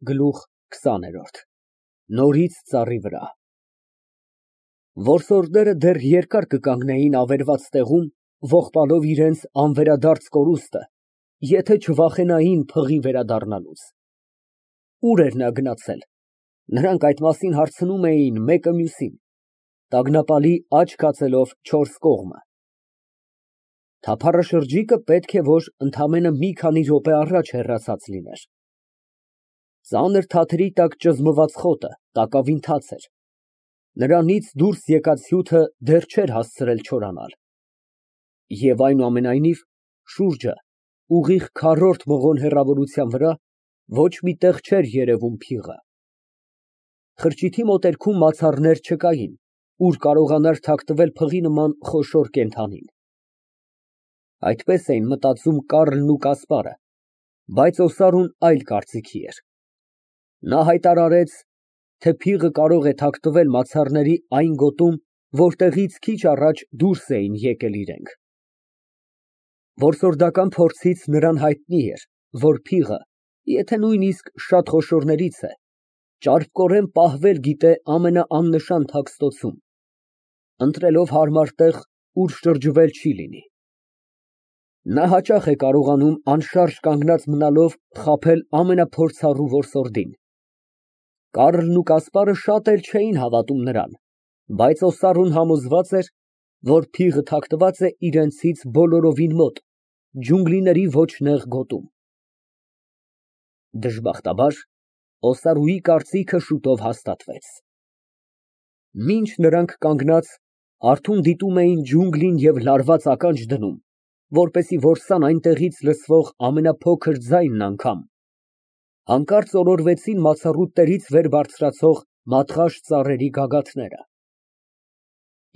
Գլուխ 20 Նորից ծառի վրա Որսորդները դեռ երկար կկանգնեին ավերված տեղում, ողբալով իրենց անվերադարձ կորուստը, եթե չվախենային փղի վերադառնալուց։ Ուր էր նա գնացել։ Նրանք այդ մասին հարցնում էին մեկը մյուսին, տագնապալի աչք հացելով չորս կողմը։ Թափառաշրջիկը պետք է որ ընդամենը մի քանի րոպե առաջ հեռացած լիներ։ Ծանր թաթերի տակ ճզմված խոտը տակավին թաց էր։ Նրանից դուրս եկած հյութը դեռ չէր հասցրել չորանալ։ Եվ այնուամենայնիվ, շուրջը, ուղիղ քառորդ մղոն հեռավորության վրա, ոչ մի տեղ չէր երևում փիղը։ Խրճիթի մոտերքում մացառներ չկային, ուր կարողանար թաքնվել փղի նման խոշոր կենդանին։ Այդպես էին մտածում Կառլն ու Կասպարը, բայց Օսարուն այլ կարծիքի էր։ Նա հայտարարեց, թե փիղը կարող է թաքնվել մացառների այն գոտում, որտեղից քիչ առաջ դուրս էին եկել իրենք։ Որսորդական փորձից նրան հայտնի էր, որ փիղը, եթե նույնիսկ շատ խոշորներից է, ճարպկորեն պահվել գիտե ամենաաննշան թաքստոցում, ընտրելով հարմար տեղ, ուր շրջվել չի լինի։ Նա հաճախ է կարողանում անշարժ կանգնած մնալով խաբել ամենափորձառու որսորդին։ Կառլն ու Կասպարը շատ էլ չէին հավատում նրան, բայց Օսարուն համոզված էր, որ փիղը թաքնված է իրենցից բոլորովին մոտ, ջունգլիների ոչ նեղ գոտում։ Դժբախտաբար, Օսարուի կարծիքը շուտով հաստատվեց։ Մինչ նրանք կանգնած, արթուն դիտում էին ջունգլին և լարված ականջ դնում, որպեսզի որսան այնտեղից լսվող ամենափոքր ձայնն անգամ, հանկարծ օրորվեցին մացառուտներից վեր բարձրացող մատղաշ ծառերի գագաթները։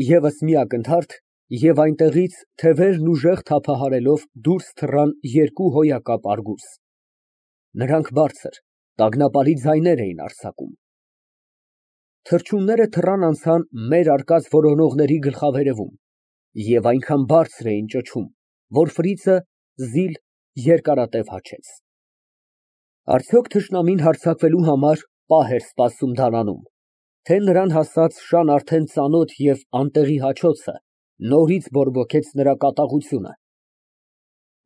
Եվս մի ակնթարթ, և այնտեղից թևերն ուժեղ թափահարելով դուրս թռան երկու հոյակապ արգուս։ Նրանք բարձր, տագնապալի ձայներ էին արձակում։ Թռչունները թռան անցան մեր արկած որոնողների գլխավերևում և այնքան բարձր էին ճչում, որ Ֆրիցը զիլ երկարատև հաչեց։ Արդյոք թշնամին հարձակվելու համար պահ էր սպասում դարանում, թե նրան հասած շան արդեն ծանոթ և անտեղի հաչոցը նորից բորբոքեց նրա կատաղությունը։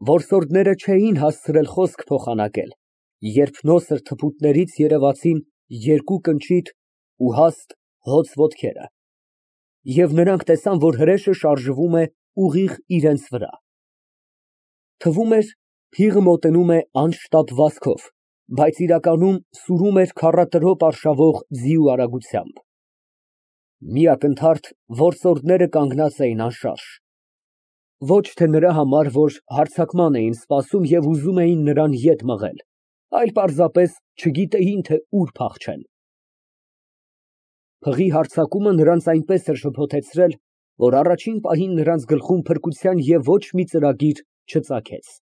Որսորդները չէին հասցրել խոսք փոխանակել, երբ նոսր թփուտներից երևացին երկու կնճիտ ու հաստ հոծ ոտքերը, և նրանք տեսան, որ հրեշը շարժվում է ուղիղ իրենց վրա։ Թվում էր, փիղը մոտենում է անշտապ վազքով, բայց իրականում սուրում էր քառատրոպ արշավող ձիու արագությամբ։ Մի ակնթարթ որսորդները կանգնած էին անշարժ։ Ոչ թե նրա համար, որ հարձակման էին սպասում և ուզում էին նրան ետ մղել, այլ պարզապես չգիտեին, թե ուր փախչեն։ Փղի հարձակումը նրանց այնպես էր շփոթեցրել, որ առաջին պահին նրանց գլխում փրկության և ոչ մի ծրագիր չծագեց։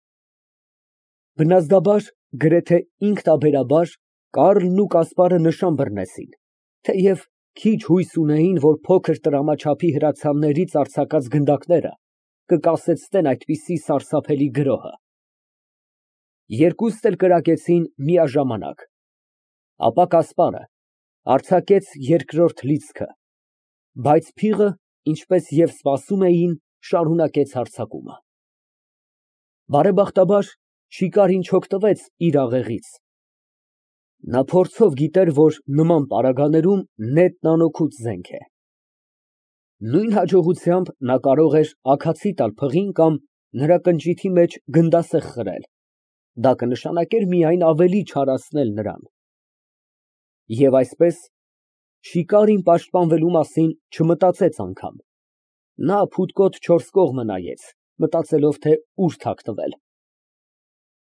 Բնազդաբար, գրեթե ինքնաբերաբար Կառլն ու Կասպարը նշան բռնեցին, թեև քիչ հույս ունեին, որ փոքր տրամաչափի հրացաններից արձակած գնդակները կկասեցնեն այդպիսի սարսափելի գրոհը։ Երկուստ էլ կրակեցին միաժամանակ, ապա Կասպարը արձակեց երկրորդ լիցքը, բայց փիղը, ինչպես և սպասում էին, շարունակեց հարձակումը։ Բարեբախտաբար, շիկարին չօգտվեց իր աղեղից։ Նա փորձով գիտեր, որ նման պարագաներում նետն անօգուտ զենք է։ Նույն հաջողությամբ նա կարող էր աքացի տալ փղին կամ նրա կնճիթի մեջ գնդասեղ խրել, դա կնշանակեր միայն ավելի չարացնել նրան։ Եվ այսպես, շիկարին պաշտպանվելու մասին չմտածեց անգամ։ Նա փութկոտ չորս կողմը նայեց, մտածելով, թե ուր թաքնվել։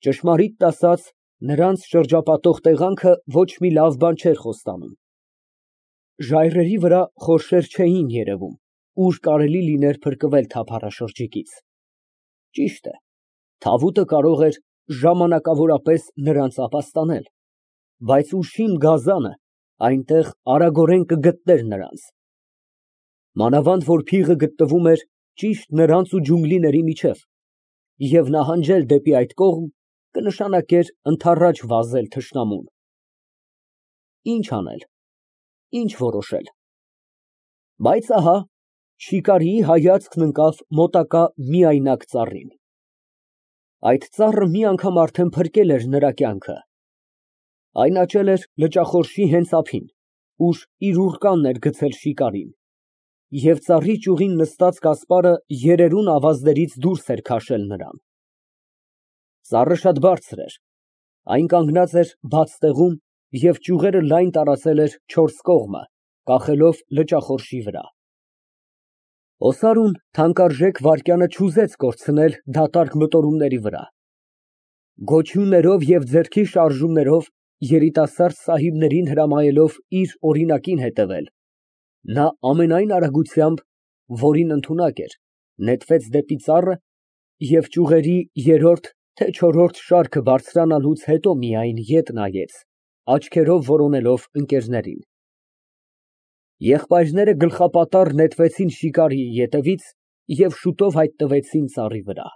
Ճշմարիտն ասած, նրանց շրջապատող տեղանքը ոչ մի լավ բան չէր խոստանում։ Ժայռերի վրա խորշեր չէին երևում, ուր կարելի լիներ փրկվել թափառաշրջիկից։ Ճիշտ է, թավուտը կարող էր ժամանակավորապես նրանց ապաստանել, բայց ուշիմ գազանը այնտեղ արագորեն կգտներ նրանց։ Մանավանդ որ փիղը գտնվում էր ճիշտ նրանց ու ջունգլիների միջև, և նահանջել դեպի այդ կողմ կնշանակեր ընդառաջ վազել թշնամուն։ Ինչ անել, ինչ որոշել։ Բայց ահա, շիկարիի հայացքն ընկավ մոտակա միայնակ ծառին։ Այդ ծառը մի անգամ արդեն փրկել էր նրա կյանքը։ Այն աճել էր լճախորշի հենց ափին, ուր իր ուռկանն էր գցել շիկարին, և ծառի ճյուղին նստած Կասպարը երերուն ավազներից դուրս էր քաշել նրան։ Ծառը շատ բարձր էր, այն կանգնած էր բաց տեղում և ճյուղերը լայն տարածել էր չորս կողմը, կախելով լճախորշի վրա։ Օսարուն թանկարժեք վայրկյանը չուզեց կորցնել դատարկ մտորումների վրա։ Գոչյուններով և ձեռքի շարժումներով երիտասարդ սահիբներին հրամայելով իր օրինակին հետևել, նա ամենայն արագությամբ, որին ընդունակ էր, նետվեց դեպի ծառը և ճյուղերի երրորդ, թե չորրորդ շարքը բարձրանալուց հետո միայն ետ նայեց, աչքերով որոնելով ընկերներին։ Եղբայրները գլխապատառ նետվեցին շիկարիի ետևից և շուտով հայտնվեցին ծառի վրա։